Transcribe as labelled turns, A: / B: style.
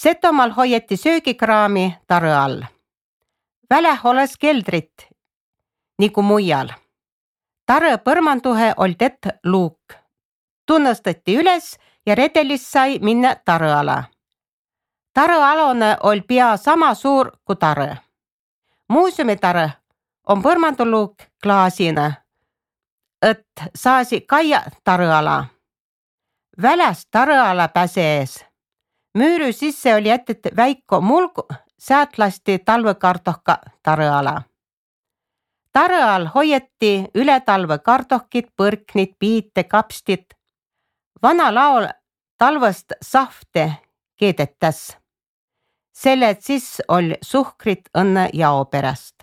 A: Setomaal hoieti söögikraami tare all. Väläh oles keldrit, nagu mujal. Tare põrmanduhe oli tett luuk. Tunnustati üles ja redelist sai minna tare ala. Tare alone oli pea sama suur kui tare. Muuseumitare on põrmanduluuk klaasina, et saasi kaia tare ala. Väläst tare ala pääse ees. Müüry sisse oli jätet väikko mulgu, sealt lasti talvekartohka tare ala. Tare all hoieti üle talve kartohkid, põrknid, piite, kapstid. Vana laul talvest sahvte keedetas. Selle siis oli suhkrit õnne jao pärast.